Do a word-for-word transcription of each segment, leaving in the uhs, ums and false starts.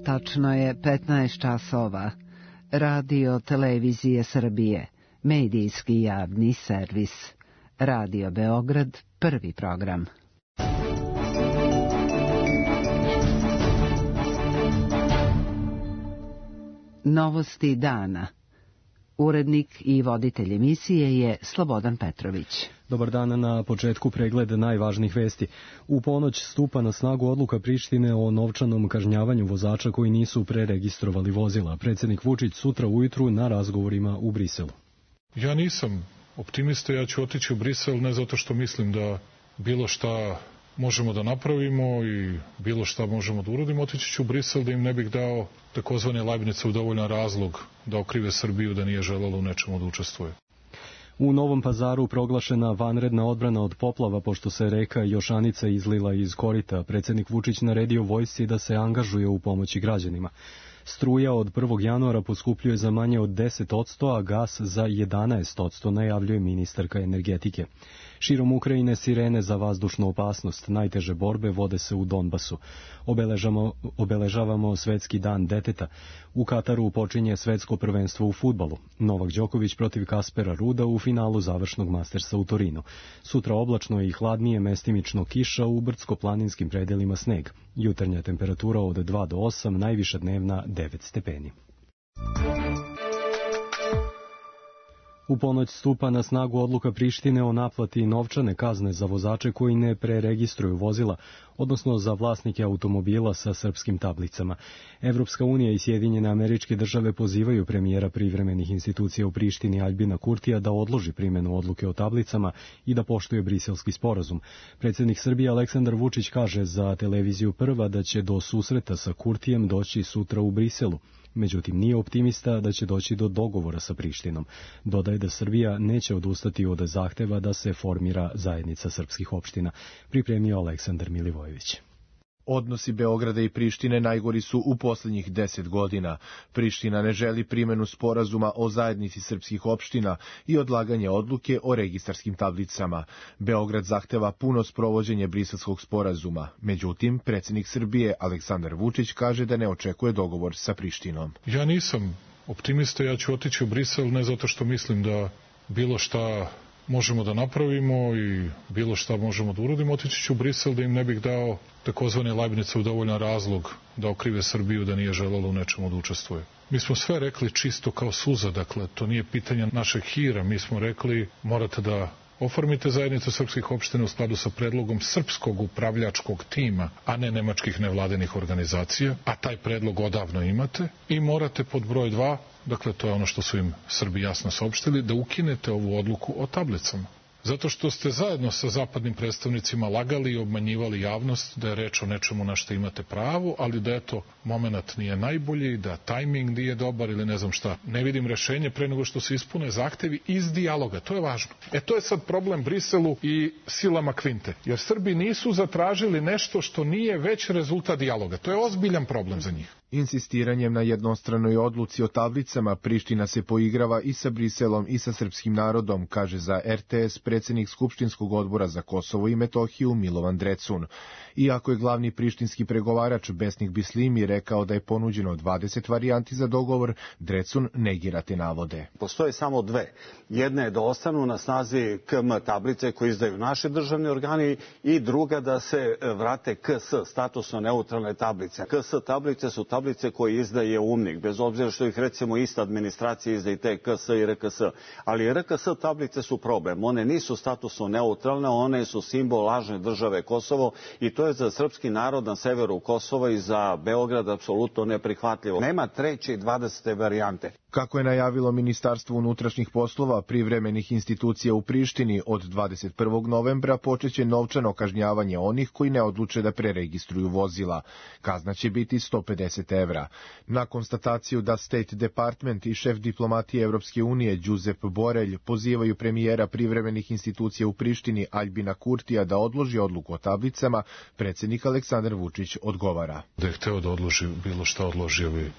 Tačno je petnaest časova. Radio Televizije Srbije, medijski javni servis. Radio Beograd, prvi program. Novosti dana. Urednik i voditelj emisije je Slobodan Petrović. Dobar dan, na početku pregled najvažnijih vesti. U ponoć stupa na snagu odluka Prištine o novčanom kažnjavanju vozača koji nisu preregistrovali vozila. Predsjednik Vučić sutra ujutru na razgovorima u Briselu. Ja nisam optimista, ja ću otići u Brisel ne zato što mislim da bilo šta možemo da napravimo i bilo šta možemo da uradimo. Otići ću u Brisel da im ne bih dao takozvane Leibnicov dovoljan razlog da okrive Srbiju da nije želela u nečemu da učestvuje. U Novom Pazaru proglašena vanredna odbrana od poplava pošto se reka Jošanica izlila iz korita. Predsjednik Vučić naredio vojsci da se angažuje u pomoći građanima. Struja od prvog januara poskupljuje za manje od deset posto, a gas za jedanaest posto, najavljuje ministarka energetike. Širom Ukrajine sirene za vazdušnu opasnost. Najteže borbe vode se u Donbasu. Obeležamo, obeležavamo Svetski dan deteta. U Kataru počinje svetsko prvenstvo u fudbalu. Novak Đoković protiv Kaspera Ruda u finalu završnog Mastersa u Torinu. Sutra oblačno i hladnije, mestimično kiša, u brdsko-planinskim predelima sneg. Jutarnja temperatura od dva do osam, najviša dnevna devet stepeni. U ponoć stupa na snagu odluka Prištine o naplati novčane kazne za vozače koji ne preregistruju vozila, odnosno za vlasnike automobila sa srpskim tablicama. Evropska unija i Sjedinjene Američke Države pozivaju premijera privremenih institucija u Prištini Aljbina Kurtija da odloži primjenu odluke o tablicama i da poštuje Briselski sporazum. Predsjednik Srbije Aleksandar Vučić kaže za televiziju Prva da će do susreta sa Kurtijem doći sutra u Briselu. Međutim, nije optimista da će doći do dogovora sa Prištinom. Dodaje da Srbija neće odustati od zahteva da se formira zajednica srpskih opština, pripremio Aleksandar Milivojević. Odnosi Beograda i Prištine najgori su u posljednjih deset godina. Priština ne želi primjenu sporazuma o zajednici srpskih opština i odlaganje odluke o registarskim tablicama. Beograd zahteva puno sprovođenje Briselskog sporazuma. Međutim, predsjednik Srbije Aleksandar Vučić kaže da ne očekuje dogovor sa Prištinom. Ja nisam optimista, ja ću otići u Brisel ne zato što mislim da bilo šta možemo da napravimo i bilo šta možemo da uradimo. Otići ću u Brisel da im ne bih dao takozvane Leibnicov dovoljan razlog da okrive Srbiju da nije želela u nečemu da učestvuje. Mi smo sve rekli čisto kao suza, dakle, to nije pitanje našeg hira. Mi smo rekli morate da oformite zajednicu srpskih opština u skladu sa predlogom srpskog upravljačkog tima, a ne nemačkih nevladinih organizacija, a taj predlog odavno imate, i morate pod broj dva, dakle to je ono što su im Srbi jasno saopštili, da ukinete ovu odluku o tablicama. Zato što ste zajedno sa zapadnim predstavnicima lagali i obmanjivali javnost da je reč o nečemu na što imate pravo, ali da eto, moment nije najbolji, da tajming nije dobar ili ne znam šta. Ne vidim rešenje pre nego što se ispune zahtevi iz dijaloga. To je važno. E to je sad problem Briselu i silama Kvinte. Jer Srbi nisu zatražili nešto što nije već rezultat dijaloga. To je ozbiljan problem za njih. Insistiranjem na jednostranoj odluci o tablicama, Priština se poigrava i sa Briselom i sa srpskim narodom, kaže za er te es predsjednik Skupštinskog odbora za Kosovo i Metohiju Milovan Drecun. Iako je glavni prištinski pregovarač Besnik Bislimi rekao da je ponuđeno dvadeset varijanti za dogovor, Drecun negira te navode. Postoje samo dve. Jedna je da ostanu na snazi ke em tablice koje izdaju naši državni organi i druga da se vrate ke es, statusno neutralne tablice. ke es tablice su tablice koje izdaje UMNIK, bez obzira što ih recimo ista administracija izdaje te ke es i er ke es. Ali er ke es tablice su problem. One nisu statusno neutralne, one su simbol lažne države Kosovo i to je za srpski narod na severu Kosova i za Beograd apsolutno neprihvatljivo. Nema treće i dvadesete varijante. Kako je najavilo Ministarstvo unutrašnjih poslova privremenih institucija u Prištini, od dvadeset prvog novembra počeće novčano kažnjavanje onih koji ne odluče da preregistruju vozila. Kazna će biti sto pedeset evra. Na konstataciju da State Department i šef diplomatije Evropske unije Giuseppe Borelj pozivaju premijera privremenih institucija u Prištini Aljbina Kurtija da odloži odluku o tablicama, predsjednik Aleksandar Vučić odgovara. Da je hteo da odloži bilo šta, odložio bi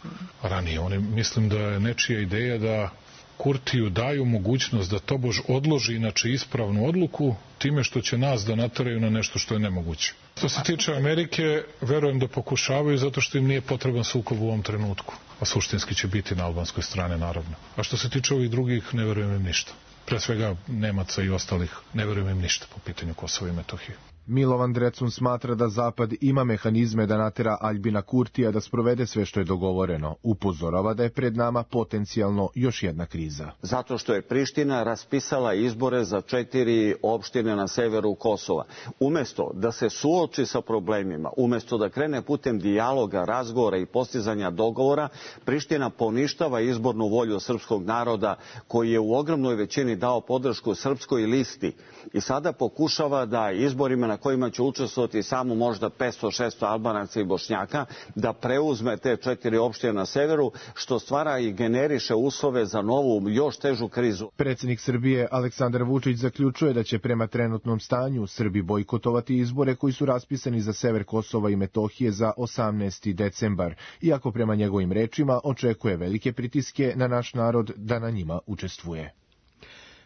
ranije. Oni, mislim da je nečija ideja da Kurtiju daju mogućnost da tobož odloži inače ispravnu odluku time što će nas da nateraju na nešto što je nemoguće. Što se tiče Amerike, verujem da pokušavaju zato što im nije potreban sukob u ovom trenutku, a suštinski će biti na albanskoj strani naravno. A što se tiče ovih drugih, ne verujem im ništa. Pre svega Nemaca i ostalih, ne verujem im ništa po pitanju Kosova i Metohije. Milovan Drecun smatra da Zapad ima mehanizme da natera Aljbina Kurtija da sprovede sve što je dogovoreno. Upozorava da je pred nama potencijalno još jedna kriza. Zato što je Priština raspisala izbore za četiri opštine na severu Kosova. Umesto da se suoči sa problemima, umesto da krene putem dijaloga, razgovora i postizanja dogovora, Priština poništava izbornu volju srpskog naroda koji je u ogromnoj većini dao podršku srpskoj listi i sada pokušava da izborima na kojima će učestvovati samo možda petsto šesto Albanaca i Bošnjaka, da preuzme te četiri opštine na severu, što stvara i generiše uslove za novu, još težu krizu. Predsjednik Srbije Aleksandar Vučić zaključuje da će prema trenutnom stanju Srbi bojkotovati izbore koji su raspisani za sever Kosova i Metohije za osamnaesti decembar, iako prema njegovim rečima očekuje velike pritiske na naš narod da na njima učestvuje.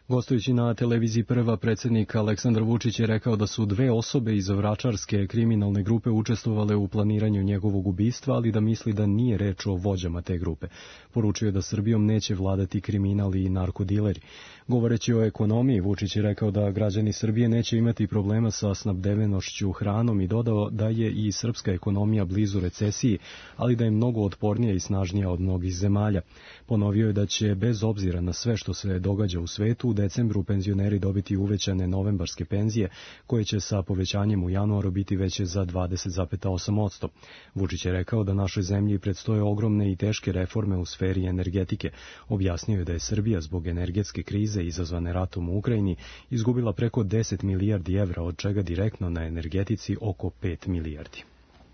Gostujući na televiziji Prva, predsjednik Aleksandar Vučić je rekao da su dve osobe iz vračarske kriminalne grupe učestvovale u planiranju njegovog ubistva, ali da misli da nije reč o vođama te grupe. Poručio je da Srbijom neće vladati kriminal i narkodileri. Govoreći o ekonomiji, Vučić je rekao da građani Srbije neće imati problema sa snabdevenošću hranom i dodao da je i srpska ekonomija blizu recesiji, ali da je mnogo otpornija i snažnija od mnogih zemalja. Ponovio je da će, bez obzira na sve što se događa u svetu, u decembru penzioneri dobiti uvećane novembarske penzije, koje će sa povećanjem u januaru biti veće za dvadeset zarez osam posto. Vučić je rekao da našoj zemlji predstoje ogromne i teške reforme u sferi energetike. Objasnio je da je Srbija zbog energetske krize izazvane ratom u Ukrajini izgubila preko deset milijardi evra, od čega direktno na energetici oko pet milijardi.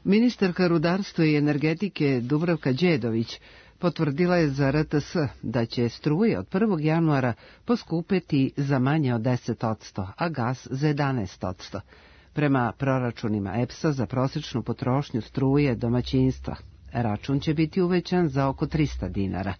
Ministarka rudarstva i energetike Dubravka Đedović potvrdila je za R T S da će struje od prvog januara poskupeti za manje od deset odsto, a gas za jedanaest odsto. Prema proračunima E P S-a za prosječnu potrošnju struje domaćinstva, račun će biti uvećan za oko trista dinara.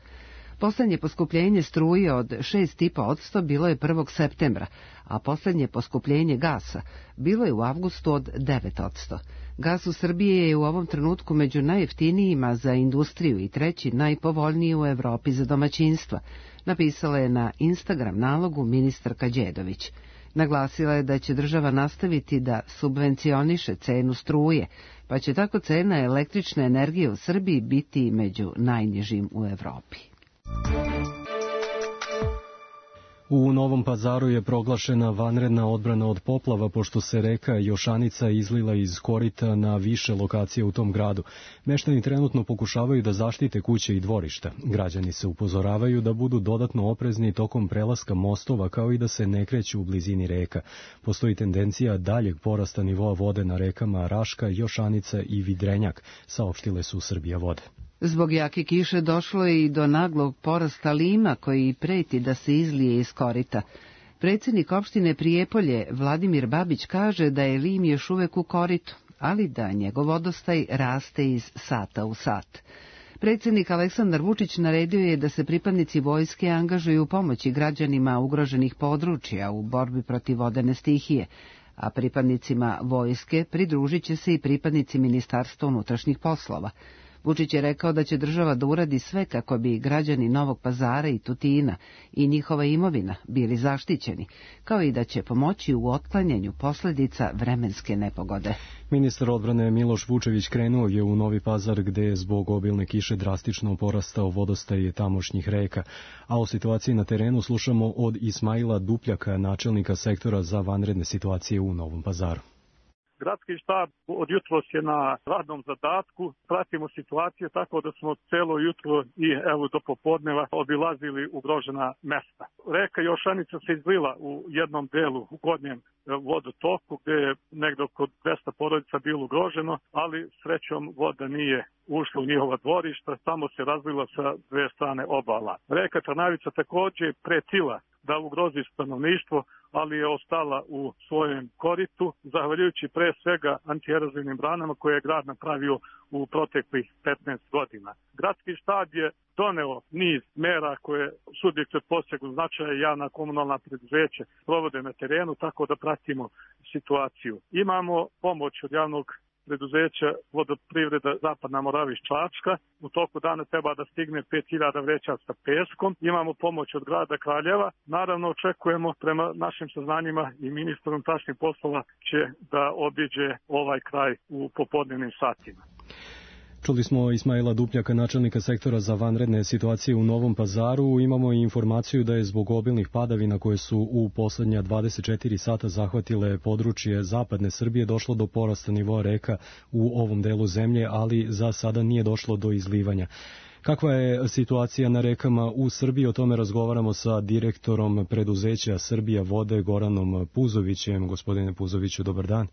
Poslednje poskupljenje struje od šest zarez pet odsto bilo je prvog septembra, a poslednje poskupljenje gasa bilo je u avgustu od devet odsto. Gas u Srbiji je u ovom trenutku među najjeftinijima za industriju i treći najpovoljniji u Evropi za domaćinstva, napisala je na Instagram nalogu ministarka Đedović. Naglasila je da će država nastaviti da subvencioniše cenu struje, pa će tako cena električne energije u Srbiji biti među najnižim u Evropi. U Novom Pazaru je proglašena vanredna odbrana od poplava pošto se reka Jošanica izlila iz korita na više lokacije u tom gradu. Meštani trenutno pokušavaju da zaštite kuće i dvorišta. Građani se upozoravaju da budu dodatno oprezni tokom prelaska mostova, kao i da se ne kreću u blizini reka. Postoji tendencija daljeg porasta nivoa vode na rekama Raška, Jošanica i Vidrenjak, saopštile su Srbija vode. Zbog jake kiše došlo je i do naglog porasta lima koji preti da se izlije iz korita. Predsjednik opštine Prijepolje Vladimir Babić kaže da je lim još uvek u koritu, ali da njegov vodostaj raste iz sata u sat. Predsjednik Aleksandar Vučić naredio je da se pripadnici vojske angažuju u pomoći građanima ugroženih područja u borbi protiv vodene stihije, a pripadnicima vojske pridružit će se i pripadnici Ministarstva unutrašnjih poslova. Vučić je rekao da će država da uradi sve kako bi građani Novog Pazara i Tutina i njihova imovina bili zaštićeni, kao i da će pomoći u otklanjanju posljedica vremenske nepogode. Ministar odbrane Miloš Vučević krenuo je u Novi Pazar gde je zbog obilne kiše drastično porastao vodostaj tamošnjih reka, a o situaciji na terenu slušamo od Ismaila Dupljaka, načelnika sektora za vanredne situacije u Novom Pazaru. Gradski štab od jutros je na radnom zadatku, pratimo situaciju tako da smo celo jutro i evo do popodneva obilazili ugrožena mesta. Reka Jošanica se izlila u jednom delu u gornjem vodotoku gde je negdje oko dvesta porodica bilo ugroženo, ali srećom voda nije ušla u njihova dvorišta, samo se razlila sa dve strane obala. Reka Trnavica također pretila da ugrozi stanovništvo, ali je ostala u svojem koritu, zahvaljujući pre svega antierozivnim branama koje je grad napravio u proteklih petnaest godina. Gradski štab je doneo niz mera koje subjekti od posebnog značaja i javna komunalna preduzeća provode na terenu, tako da pratimo situaciju. Imamo pomoć od javnog preduzeća Vodoprivreda Zapadna Morava iz Čačka. U toku dana treba da stigne pet hiljada vreća sa peskom. Imamo pomoć od grada Kraljeva. Naravno, očekujemo prema našim saznanjima i ministar unutrašnjih poslova će da obiđe ovaj kraj u popodnevnim satima. Čuli smo Ismaila Dupljaka, načelnika sektora za vanredne situacije u Novom Pazaru. Imamo i informaciju da je zbog obilnih padavina koje su u poslednja dvadeset četiri sata zahvatile područje zapadne Srbije došlo do porasta nivoa reka u ovom delu zemlje, ali za sada nije došlo do izlivanja. Kakva je situacija na rekama u Srbiji? O tome razgovaramo sa direktorom preduzeća Srbija vode Goranom Puzovićem. Gospodine Puzoviću, dobar dan.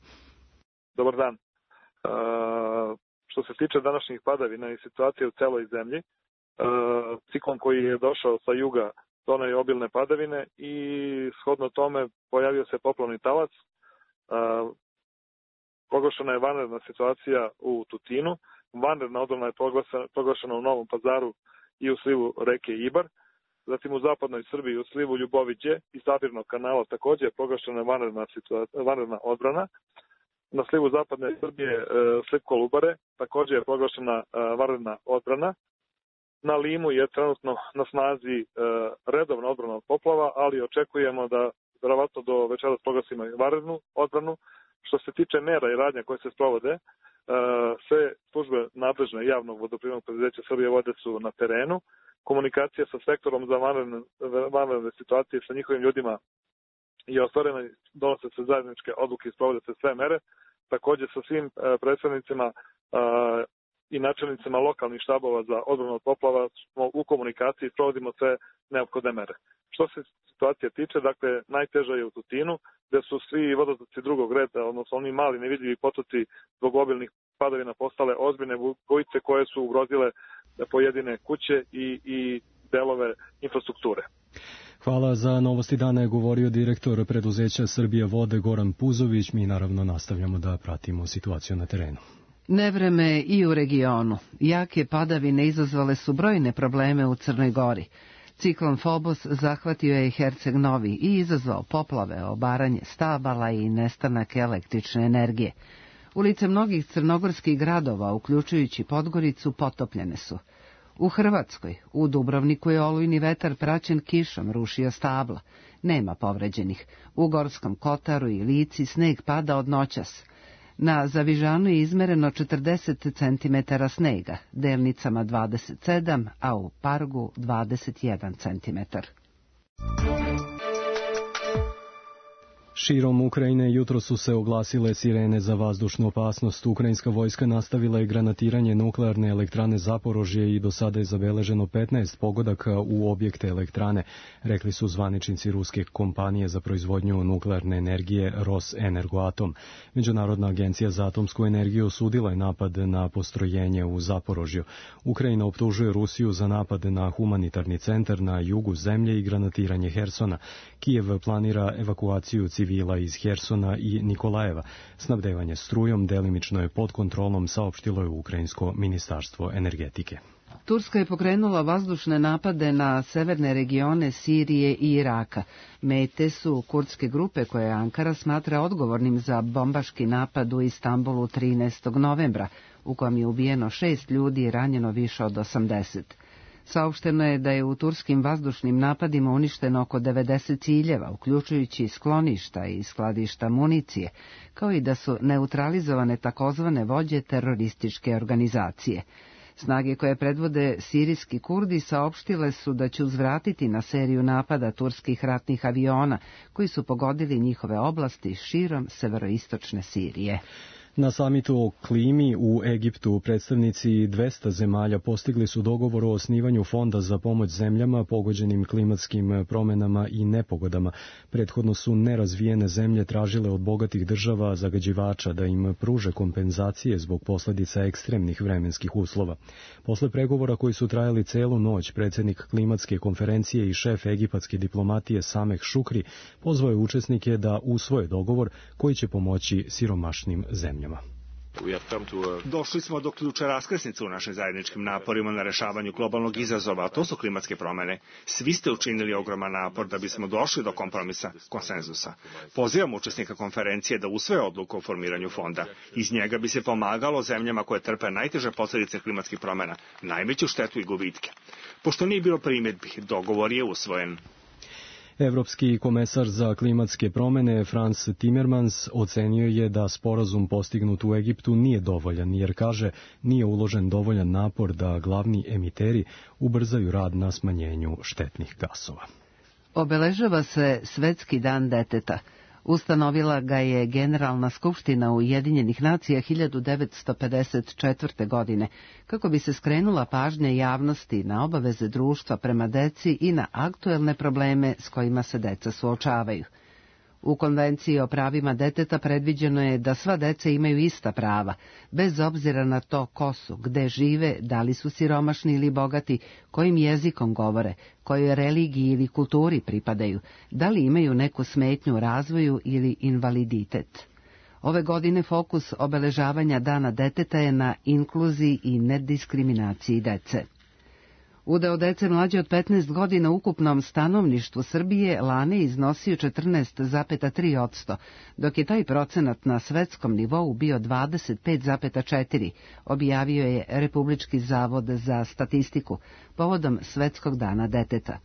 Dobar dan. Uh... Što se tiče današnjih padavina i situacije u celoj zemlji, e, ciklon koji je došao sa juga doneo je obilne padavine i shodno tome pojavio se poplavni talac. E, proglašena je vanredna situacija u Tutinu, vanredna odbrana je proglašena u Novom Pazaru i u slivu reke Ibar, zatim u zapadnoj Srbiji u slivu Ljuboviđe i Sabirnog kanala takođe je proglašena vanredna, situacija, vanredna odbrana. Na slivu zapadne Srbije, sliv Kolubare, također je proglašena vanredna odbrana. Na Limu je trenutno na snazi redovna odbrana od poplava, ali očekujemo da verovatno do večeras proglasimo vanrednu odbranu. Što se tiče mera i radnja koje se sprovode, sve službe nadležne javnog vodoprivrednog preduzeća Srbije vode su na terenu. Komunikacija sa sektorom za vanredne, vanredne situacije sa njihovim ljudima je ostvarena, donose se zajedničke odluke i sprovode se sve mere. Također sa svim predstavnicima i načelnicima lokalnih štabova za odbranu od poplava smo u komunikaciji i provodimo sve neophodne mere. Što se situacije tiče, dakle, najteža je u Tutinu, gde su svi vodotoci drugog reda, odnosno oni mali nevidljivi potoci zbog obilnih padavina postale ozbiljne bujice koje su ugrozile pojedine kuće i, i delove infrastrukture. Hvala. Za Novosti dana je govorio direktor preduzeća Srbija vode Goran Puzović. Mi naravno nastavljamo da pratimo situaciju na terenu. Nevreme i u regionu. Jake padavine izazvale su brojne probleme u Crnoj Gori. Ciklon Fobos zahvatio je Herceg Novi i izazvao poplave, obaranje stabala i nestanak električne energije. Ulice mnogih crnogorskih gradova, uključujući Podgoricu, potopljene su. U Hrvatskoj, u Dubrovniku je olujni vetar praćen kišom rušio stabla. Nema povređenih. U Gorskom Kotaru i Lici sneg pada od noćas. Na Zavižanu je izmereno četrdeset centimetara snega, delnicama dvadeset sedam, a u Pargu dvadeset jedan centimetar. Širom Ukrajine jutro su se oglasile sirene za vazdušnu opasnost. Ukrajinska vojska nastavila je granatiranje nuklearne elektrane Zaporožje i do sada je zabeleženo petnaest pogodaka u objekte elektrane, rekli su zvaničnici ruske kompanije za proizvodnju nuklearne energije Rosenergoatom. Međunarodna agencija za atomsku energiju osudila je napad na postrojenje u Zaporožju. Ukrajina optužuje Rusiju za napad na humanitarni centar na jugu zemlje i granatiranje Hersona. Kijev planira evakuaciju civila iz Hersona i Nikolajeva. Snabdevanje strujom delimično je pod kontrolom, saopštilo je Ukrajinsko ministarstvo energetike. Turska je pokrenula vazdušne napade na severne regione Sirije i Iraka. Mete su kurdske grupe koje Ankara smatra odgovornim za bombaški napad u Istanbulu trinaestog novembra, u kojem je ubijeno šest ljudi i ranjeno više od osamdeset. Saopšteno je da je u turskim vazdušnim napadima uništeno oko devedeset ciljeva, uključujući skloništa i skladišta municije, kao i da su neutralizovane takozvane vođe terorističke organizacije. Snage koje predvode sirijski Kurdi saopštile su da će uzvratiti na seriju napada turskih ratnih aviona, koji su pogodili njihove oblasti širom severoistočne Sirije. Na samitu o klimi u Egiptu predstavnici dvesta zemalja postigli su dogovor o osnivanju fonda za pomoć zemljama pogođenim klimatskim promenama i nepogodama. Prethodno su nerazvijene zemlje tražile od bogatih država zagađivača da im pruže kompenzacije zbog posljedica ekstremnih vremenskih uslova. Posle pregovora koji su trajali celu noć, predsjednik klimatske konferencije i šef egipatske diplomatije Sameh Šukri pozvao je učesnike da usvoje dogovor koji će pomoći siromašnim zemljama. Došli smo do ključa raskrsnice u našim zajedničkim naporima na rešavanju globalnog izazova, a to su klimatske promene. Svi ste učinili ogroman napor da bismo došli do kompromisa, konsenzusa. Pozivam učesnika konferencije da usvoje odluku o formiranju fonda. Iz njega bi se pomagalo zemljama koje trpe najteže posljedice klimatskih promena, najveću štetu i gubitke. Pošto nije bilo primjedbi, dogovor je usvojen. Evropski komesar za klimatske promene Frans Timmermans ocenio je da sporazum postignut u Egiptu nije dovoljan, jer kaže nije uložen dovoljan napor da glavni emiteri ubrzaju rad na smanjenju štetnih gasova. Obeležava se Svetski dan deteta. Ustanovila ga je Generalna skupština Ujedinjenih nacija hiljadu devetsto pedeset četvrte. godine, kako bi se skrenula pažnja javnosti na obaveze društva prema deci i na aktuelne probleme s kojima se deca suočavaju. U Konvenciji o pravima deteta predviđeno je da sva deca imaju ista prava, bez obzira na to ko su, gde žive, da li su siromašni ili bogati, kojim jezikom govore, kojoj religiji ili kulturi pripadaju, da li imaju neku smetnju u razvoju ili invaliditet. Ove godine fokus obeležavanja Dana deteta je na inkluziji i nediskriminaciji dece. Udeo dece mlađe od petnaest godina u ukupnom stanovništvu Srbije lane iznosio četrnaest zarez tri posto, dok je taj procenat na svetskom nivou bio dvadeset pet zarez četiri, objavio je Republički zavod za statistiku povodom Svetskog dana deteta.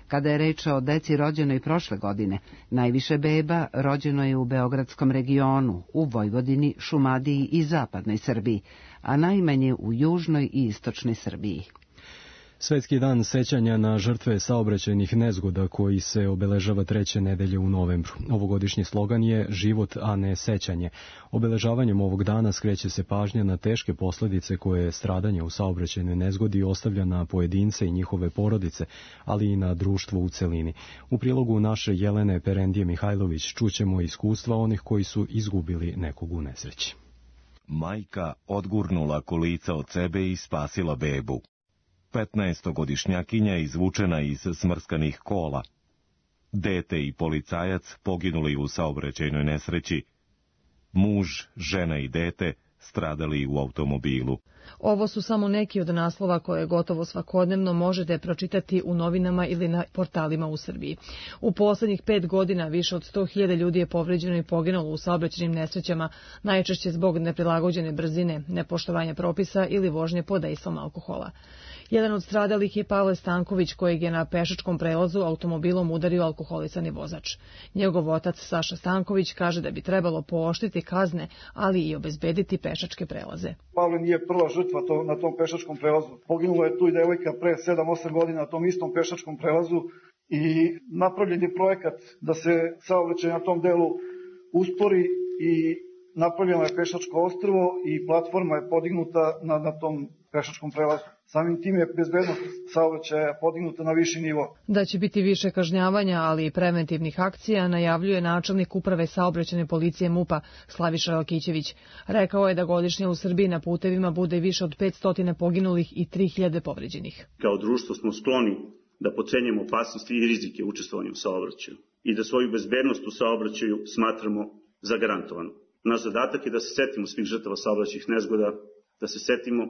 Kada je reč o deci rođenoj prošle godine, najviše beba rođeno je u Beogradskom regionu, u Vojvodini, Šumadiji i Zapadnoj Srbiji, a najmanje u Južnoj i Istočnoj Srbiji. Svetski dan sećanja na žrtve saobraćajnih nezgoda koji se obeležava treće nedelje u novembru. Ovogodišnji slogan je život, a ne sećanje. Obeležavanjem ovog dana skreće se pažnja na teške posljedice koje stradanje u saobraćajnoj nezgodi ostavlja na pojedince i njihove porodice, ali i na društvo u celini. U prilogu naše Jelene Perendije Mihajlović čućemo iskustva onih koji su izgubili nekog u nesreći. Majka odgurnula kolica od sebe i spasila bebu. petnaestogodišnjakinja izvučena iz smrskanih kola. Dete i policajac poginuli u saobraćajnoj nesreći. Muž, žena i dete stradali u automobilu. Ovo su samo neki od naslova koje gotovo svakodnevno možete pročitati u novinama ili na portalima u Srbiji. U poslednjih pet godina više od sto hiljada ljudi je povređeno i poginulo u saobraćajnim nesrećama, najčešće zbog neprilagođene brzine, nepoštovanja propisa ili vožnje pod dejstvom alkohola. Jedan od stradalih je Pavle Stanković, kojeg je na pešačkom prelazu automobilom udario alkoholisani vozač. Njegov otac Saša Stanković kaže da bi trebalo pooštriti kazne, ali i obezbediti pešačke prelaze. Pavle nije prva žrtva to, na tom pešačkom prelazu. Poginula je tu i devojka pre sedam osam godina na tom istom pešačkom prelazu i napravljen je projekat da se saobraćaj na tom delu uspori i napravljeno je pešačko ostrvo i platforma je podignuta na, na tom pešačkom prelazu. Samim tim je bezbednost saobraćaja podignuta na viši nivo. Da će biti više kažnjavanja, ali i preventivnih akcija, najavljuje načelnik uprave saobraćajne policije MUP-a Slaviša Lakićević. Rekao je da godišnje u Srbiji na putevima bude više od petsto poginulih i tri hiljade povređenih. Kao društvo smo skloni da podcenjujemo opasnosti i rizike učestvovanja u saobraćaju i da svoju bezbednost u saobraćaju smatramo zagarantovanu. Naš zadatak je da se setimo svih žrtava saobraćajnih nezgoda, da se setimo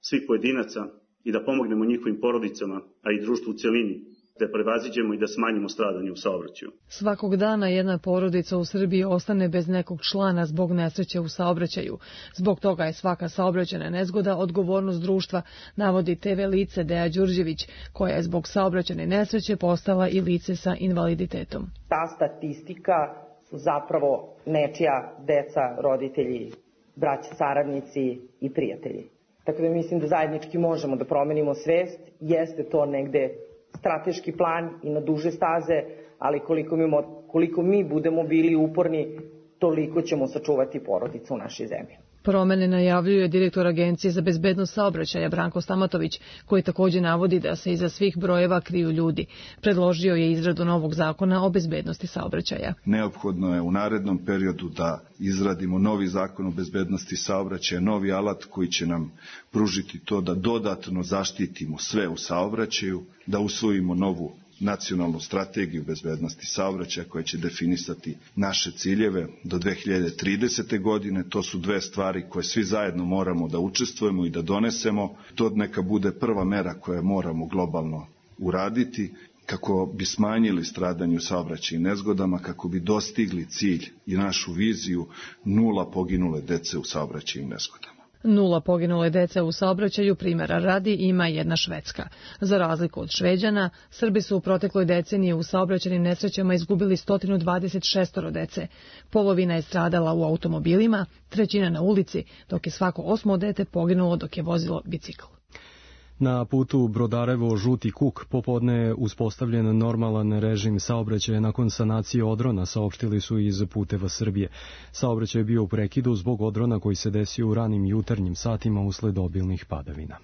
svih pojedinaca i da pomognemo njihovim porodicama, a i društvu u celini, da prevaziđemo i da smanjimo stradanje u saobraćaju. Svakog dana jedna porodica u Srbiji ostane bez nekog člana zbog nesreće u saobraćaju. Zbog toga je svaka saobraćajna nezgoda odgovornost društva, navodi te ve lice Deja Đurđević, koja je zbog saobraćajne nesreće postala i lice sa invaliditetom. Ta statistika su zapravo nečija deca, roditelji, braća, saradnici i prijatelji. Tako da mislim da zajednički možemo da promenimo svest, jeste to negde strateški plan i na duže staze, ali koliko mi, koliko mi budemo bili uporni, toliko ćemo sačuvati porodicu u našoj zemlji. Promene najavljuje direktor Agencije za bezbednost saobraćaja Branko Stamatović, koji također navodi da se iza svih brojeva kriju ljudi. Predložio je izradu novog zakona o bezbednosti saobraćaja. Neophodno je u narednom periodu da izradimo novi zakon o bezbednosti saobraćaja, novi alat koji će nam pružiti to da dodatno zaštitimo sve u saobraćaju, da usvojimo novu nacionalnu strategiju bezbednosti saobraćaja koja će definisati naše ciljeve do dve hiljade tridesete. godine. To su dve stvari koje svi zajedno moramo da učestvujemo i da donesemo. To neka bude prva mera koje moramo globalno uraditi kako bi smanjili stradanje u saobraćajnim nezgodama, kako bi dostigli cilj i našu viziju nula poginule dece u saobraćajnim nezgodama. Nula poginule dece u saobraćaju primjera radi ima jedna Švedska. Za razliku od Šveđana, Srbi su u protekloj deceniji u saobraćajnim nesrećama izgubili sto dvadeset šest dece. Polovina je stradala u automobilima, trećina na ulici, dok je svako osmo dete poginulo dok je vozilo bicikl. Na putu Brodarevo-Žuti Kuk popodne je uspostavljen normalan režim saobraćaja nakon sanacije odrona, saopštili su iz Puteva Srbije. Saobraćaj je bio u prekidu zbog odrona koji se desio u ranim jutarnjim satima usled obilnih padavina.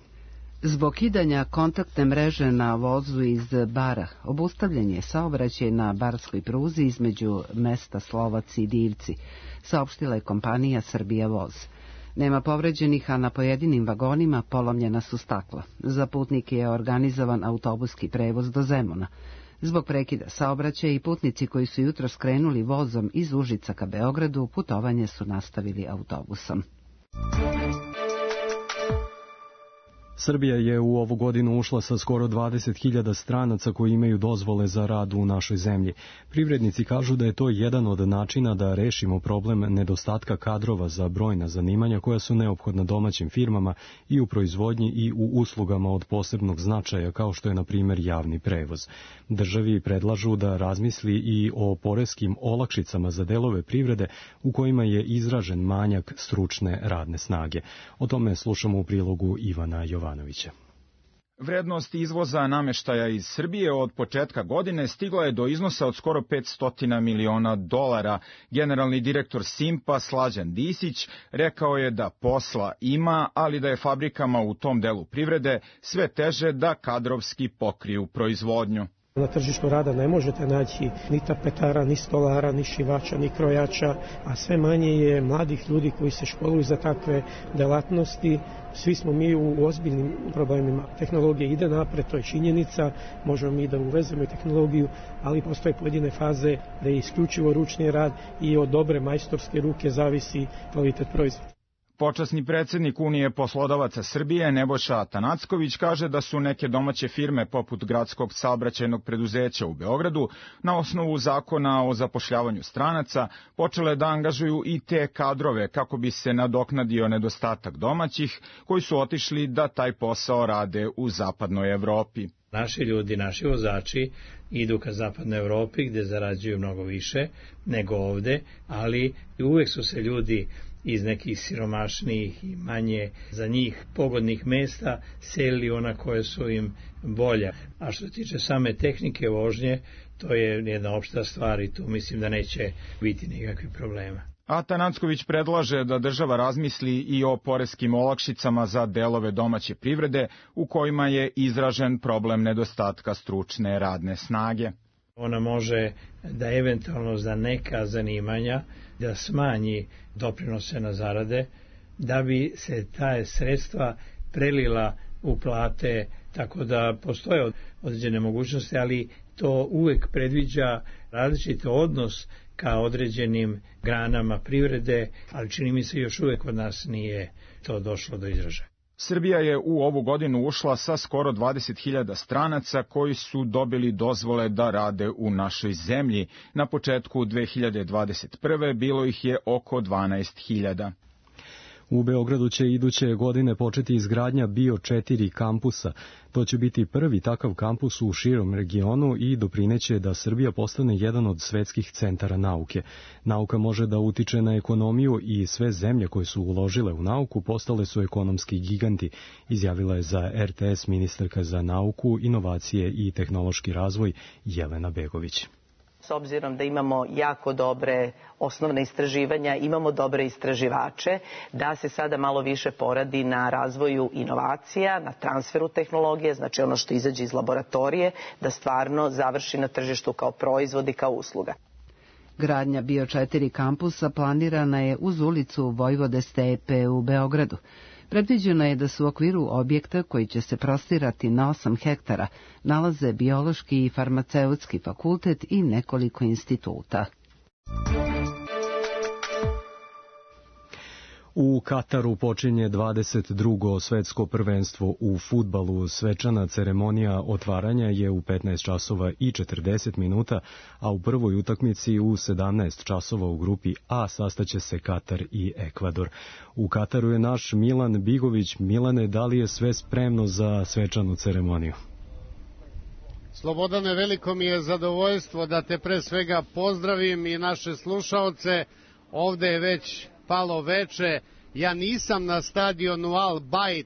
Zbog kidanja kontaktne mreže na vozu iz Bara, obustavljen je saobraćaj na barskoj pruzi između mesta Slovac i Divci, saopštila je kompanija Srbija voz. Nema povređenih, a na pojedinim vagonima polomljena su stakla. Za putnike je organizovan autobuski prevoz do Zemuna. Zbog prekida saobraćaja i putnici koji su jutro skrenuli vozom iz Užica ka Beogradu, putovanje su nastavili autobusom. Srbija je u ovu godinu ušla sa skoro dvadeset hiljada stranaca koji imaju dozvole za rad u našoj zemlji. Privrednici kažu da je to jedan od načina da rešimo problem nedostatka kadrova za brojna zanimanja koja su neophodna domaćim firmama i u proizvodnji i u uslugama od posebnog značaja, kao što je na primjer javni prevoz. Državi predlažu da razmisli i o poreskim olakšicama za delove privrede u kojima je izražen manjak stručne radne snage. O tome slušamo u prilogu Ivana Jovanovića. Vrednost izvoza nameštaja iz Srbije od početka godine stigla je do iznosa od skoro petsto miliona dolara. Generalni direktor Simpa Slađan Disić rekao je da posla ima, ali da je fabrikama u tom delu privrede sve teže da kadrovski pokriju proizvodnju. Na tržištu rada ne možete naći ni tapetara, ni stolara, ni šivača, ni krojača, a sve manje je mladih ljudi koji se školuju za takve delatnosti. Svi smo mi u ozbiljnim problemima. Tehnologija ide napred, to je činjenica, možemo mi da uvezemo i tehnologiju, ali postoje pojedine faze da je isključivo ručni rad i od dobre majstorske ruke zavisi kvalitet proizvoda. Počasni predsjednik Unije poslodavaca Srbije Nebojša Atanacković kaže da su neke domaće firme poput Gradskog saobraćajnog preduzeća u Beogradu na osnovu zakona o zapošljavanju stranaca počele da angažuju i te kadrove kako bi se nadoknadio nedostatak domaćih koji su otišli da taj posao rade u zapadnoj Evropi. Naši ljudi, naši vozači idu ka zapadnoj Evropi gdje zarađuju mnogo više nego ovde, ali uvek su se ljudi iz nekih siromašnijih i manje za njih pogodnih mesta selili ona koje su im bolja. A što se tiče same tehnike vožnje, to je jedna opšta stvar i tu mislim da neće biti nikakvih problema. Atanacković predlaže da država razmisli i o poreskim olakšicama za delove domaće privrede u kojima je izražen problem nedostatka stručne radne snage. Ona može da eventualno za neka zanimanja da smanji doprinose na zarade, da bi se ta sredstva prelila u plate, tako da postoje određene mogućnosti, ali to uvek predviđa različit odnos ka određenim granama privrede, ali čini mi se još uvek kod nas nije to došlo do izražaja. Srbija je u ovu godinu ušla sa skoro dvadeset hiljada stranaca koji su dobili dozvole da rade u našoj zemlji. Na početku dve hiljade dvadeset prve bilo ih je oko dvanaest hiljada. U Beogradu će iduće godine početi izgradnja Bio četiri kampusa. To će biti prvi takav kampus u širom regionu i doprineće da Srbija postane jedan od svetskih centara nauke. Nauka može da utiče na ekonomiju i sve zemlje koje su uložile u nauku postale su ekonomski giganti, izjavila je za R T S ministarka za nauku, inovacije i tehnološki razvoj Jelena Begović. S obzirom da imamo jako dobre osnovne istraživanja, imamo dobre istraživače, da se sada malo više poradi na razvoju inovacija, na transferu tehnologije, znači ono što izađe iz laboratorije, da stvarno završi na tržištu kao proizvod i kao usluga. Gradnja bio četiri kampusa planirana je uz ulicu Vojvode Stepe u Beogradu. Predviđeno je da su u okviru objekta koji će se prostirati na osam hektara nalaze biološki i farmaceutski fakultet i nekoliko instituta. U Kataru počinje dvadeset drugo svetsko prvenstvo u fudbalu. Svečana ceremonija otvaranja je u petnaest časova i četrdeset minuta, a u prvoj utakmici u sedamnaest časova u grupi A sastaće se Katar i Ekvador. U Kataru je naš Milan Bigović. Milane, da li je sve spremno za svečanu ceremoniju? Slobodane, veliko mi je zadovoljstvo da te pre svega pozdravim i naše slušaoce. Ovde je već palo veče, ja nisam na stadionu Al Bayt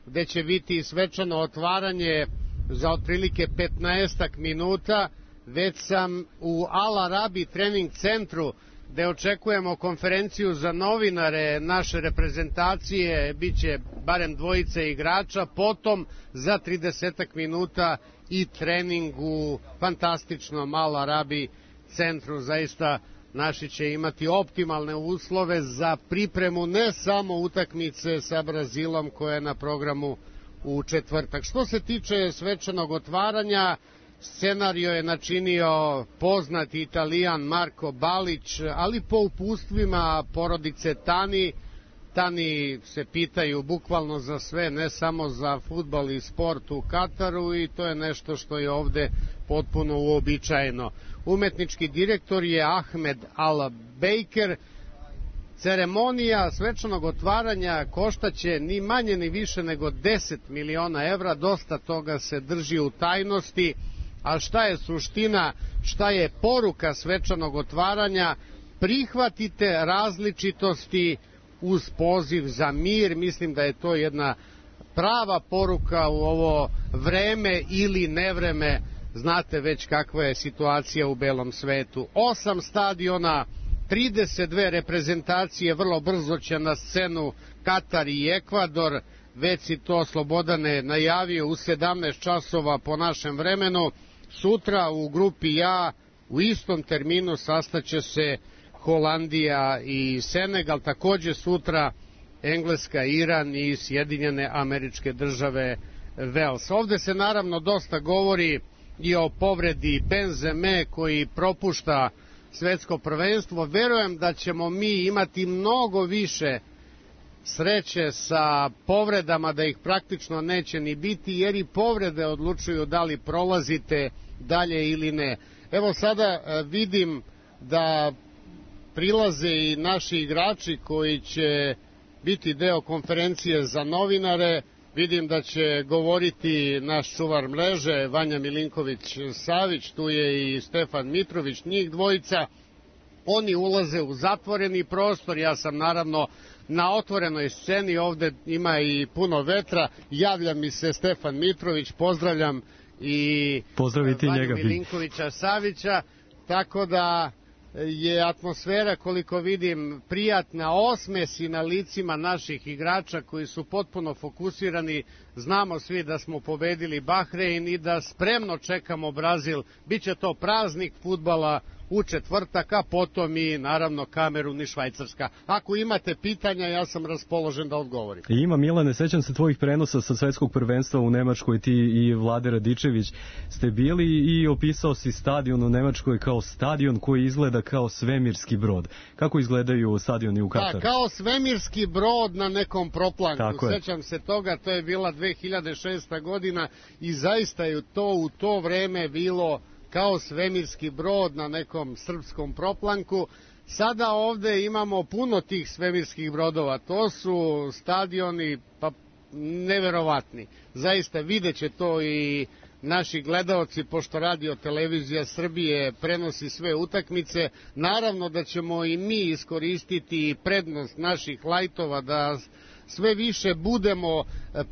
gde će biti svečano otvaranje za otprilike petnaestak minuta, već sam u Al Arabi trening centru gde očekujemo konferenciju za novinare naše reprezentacije, bit će barem dvojice igrača, potom za tridesetak minuta i trening u fantastičnom Al Arabi centru. Zaista naši će imati optimalne uslove za pripremu ne samo utakmice sa Brazilom koja je na programu u četvrtak. Što se tiče svečanog otvaranja, scenario je načinio poznati Italijan Marko Balić, ali po upustvima porodice Tani. Tani se pitaju bukvalno za sve, ne samo za fudbal i sport u Kataru, i to je nešto što je ovde potpuno uobičajeno. Umetnički direktor je Ahmed Al-Bejker. Ceremonija svečanog otvaranja koštaće ni manje ni više nego deset miliona evra, dosta toga se drži u tajnosti, a šta je suština, šta je poruka svečanog otvaranja? Prihvatite različitosti uz poziv za mir. Mislim da je to jedna prava poruka u ovo vreme ili nevreme. Znate već kakva je situacija u belom svetu. Osam stadiona, trideset dve reprezentacije, vrlo brzo će na scenu Katar i Ekvador, već si to Slobodane najavio u sedamnaest časova po našem vremenu. Sutra u grupi A u istom terminu sastaće se Holandija i Senegal, takođe sutra Engleska, Iran i Sjedinjene Američke Države Vels. Ovde se naravno dosta govori i o povredi Benzeme koji propušta svetsko prvenstvo. Verujem da ćemo mi imati mnogo više sreće sa povredama, da ih praktično neće ni biti, jer i povrede odlučuju da li prolazite dalje ili ne. Evo sada vidim da prilaze i naši igrači koji će biti deo konferencije za novinare. Vidim da će govoriti naš čuvar mreže Vanja Milinković-Savić, tu je i Stefan Mitrović, njih dvojica. Oni ulaze u zatvoreni prostor, ja sam naravno na otvorenoj sceni, ovde ima i puno vetra. Javlja mi se Stefan Mitrović, pozdravljam i Vanju Milinkovića-Savića, tako da je atmosfera, koliko vidim, prijatna, osmesi na licima naših igrača koji su potpuno fokusirani. Znamo svi da smo pobedili Bahrein i da spremno čekamo Brazil. Biće to praznik fudbala u četvrtak, a potom i naravno Kamerun i Švajcarska. Ako imate pitanja, ja sam raspoložen da odgovorim. Ima, Milane, sećam se tvojih prenosa sa svetskog prvenstva u Nemačkoj, ti i Vlade Radičević ste bili i opisao si stadion u Nemačkoj kao stadion koji izgleda kao svemirski brod. Kako izgledaju stadioni u Kataru? Da, kao svemirski brod na nekom proplanku. Sećam se toga, to je bila dve hiljade šesta godina i zaista je to u to vreme bilo kao svemirski brod na nekom srpskom proplanku. Sada ovde imamo puno tih svemirskih brodova. To su stadioni pa neverovatni. Zaista vidjet će to i naši gledaoci, pošto Radio Televizija Srbije prenosi sve utakmice. Naravno da ćemo i mi iskoristiti prednost naših lajtova da sve više budemo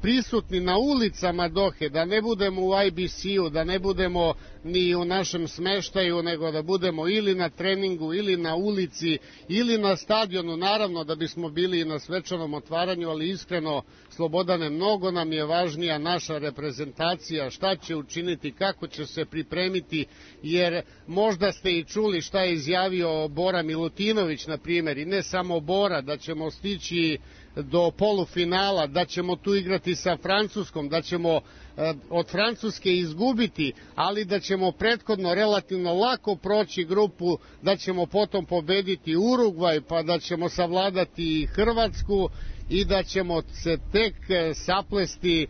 prisutni na ulicama Dohe, da ne budemo u I B C-u, da ne budemo ni u našem smeštaju, nego da budemo ili na treningu, ili na ulici, ili na stadionu, naravno da bismo bili i na svečanom otvaranju, ali iskreno, Slobodane, mnogo nam je važnija naša reprezentacija, šta će učiniti, kako će se pripremiti, jer možda ste i čuli šta je izjavio Bora Milutinović, na primjer, i ne samo Bora, da ćemo stići do polufinala, da ćemo tu igrati sa Francuskom, da ćemo e, od Francuske izgubiti, ali da ćemo prethodno relativno lako proći grupu, da ćemo potom pobediti Urugvaj, pa da ćemo savladati Hrvatsku i da ćemo se tek saplesti e,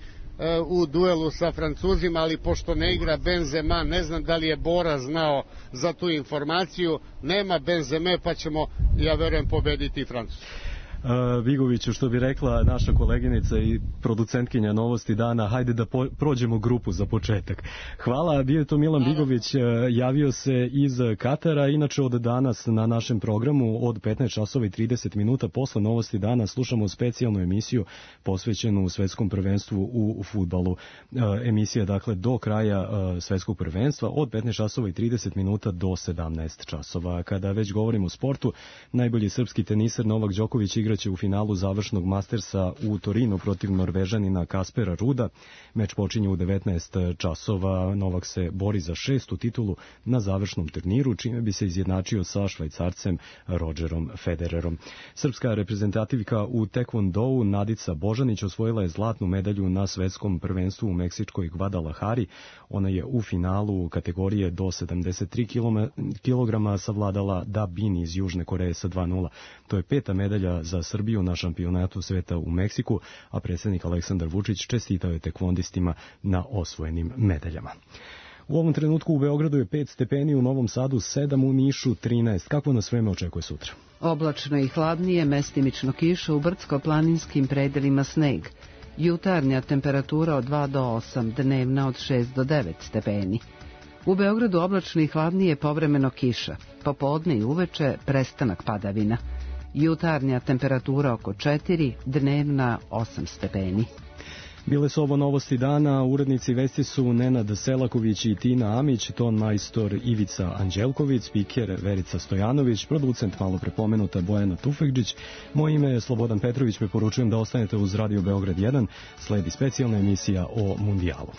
u duelu sa Francuzima, ali pošto ne igra Benzema, ne znam da li je Bora znao za tu informaciju, nema Benzeme, pa ćemo, ja verujem, pobediti Francusku. Bigoviću, što bi rekla naša koleginica i producentkinja Novosti dana, hajde da po, prođemo grupu za početak. Hvala, bio je to Milan Bigović, javio se iz Katara, inače od danas na našem programu od petnaest časova i trideset minuta posle Novosti dana slušamo specijalnu emisiju posvećenu svetskom prvenstvu u fudbalu. Emisija, dakle, do kraja svetskog prvenstva od petnaest časova i trideset minuta do sedamnaest časova. Kada već govorimo o sportu, najbolji srpski teniser Novak Đoković igra će u finalu završnog Mastersa u Torinu protiv Norvežanina Kaspera Ruda. Meč počinje u devetnaest časova. Novak se bori za šestu titulu na završnom turniru, čime bi se izjednačio sa Švajcarcem Rodgerom Federerom. Srpska reprezentativka u tekvondou Nadica Božanić osvojila je zlatnu medalju na svetskom prvenstvu u meksičkoj Guadalajari. Ona je u finalu kategorije do sedamdeset tri kilograma savladala Da Bin iz Južne Koreje sa dva nula. To je peta medalja za Srbiju na šampionatu sveta u Meksiku, a predsjednik Aleksandar Vučić čestitao je tekvondistima na osvojenim medaljama. U ovom trenutku u Beogradu je pet stepeni, u Novom Sadu sedam, u Nišu trinaest. Kakvo nas vreme očekuje sutra? Oblačno i hladnije, mestimično kiša, u brdsko-planinskim predelima sneg. Jutarnja temperatura od dva do osam, dnevna od šest do devet stepeni. U Beogradu oblačno i hladnije, povremeno kiša. Popodne i uveče prestanak padavina. Jutarnja temperatura oko četiri, dnevna osam stepeni. Bile su ovo Novosti dana, urednici vesti su Nenad Selaković i Tina Amić, ton majstor Ivica Anđelković, spiker Verica Stojanović, producent malo prepomenuta Bojana Tufekđić. Moje ime je Slobodan Petrović, preporučujem da ostanete uz Radio Beograd jedan, sledi specijalna emisija o mundijalu.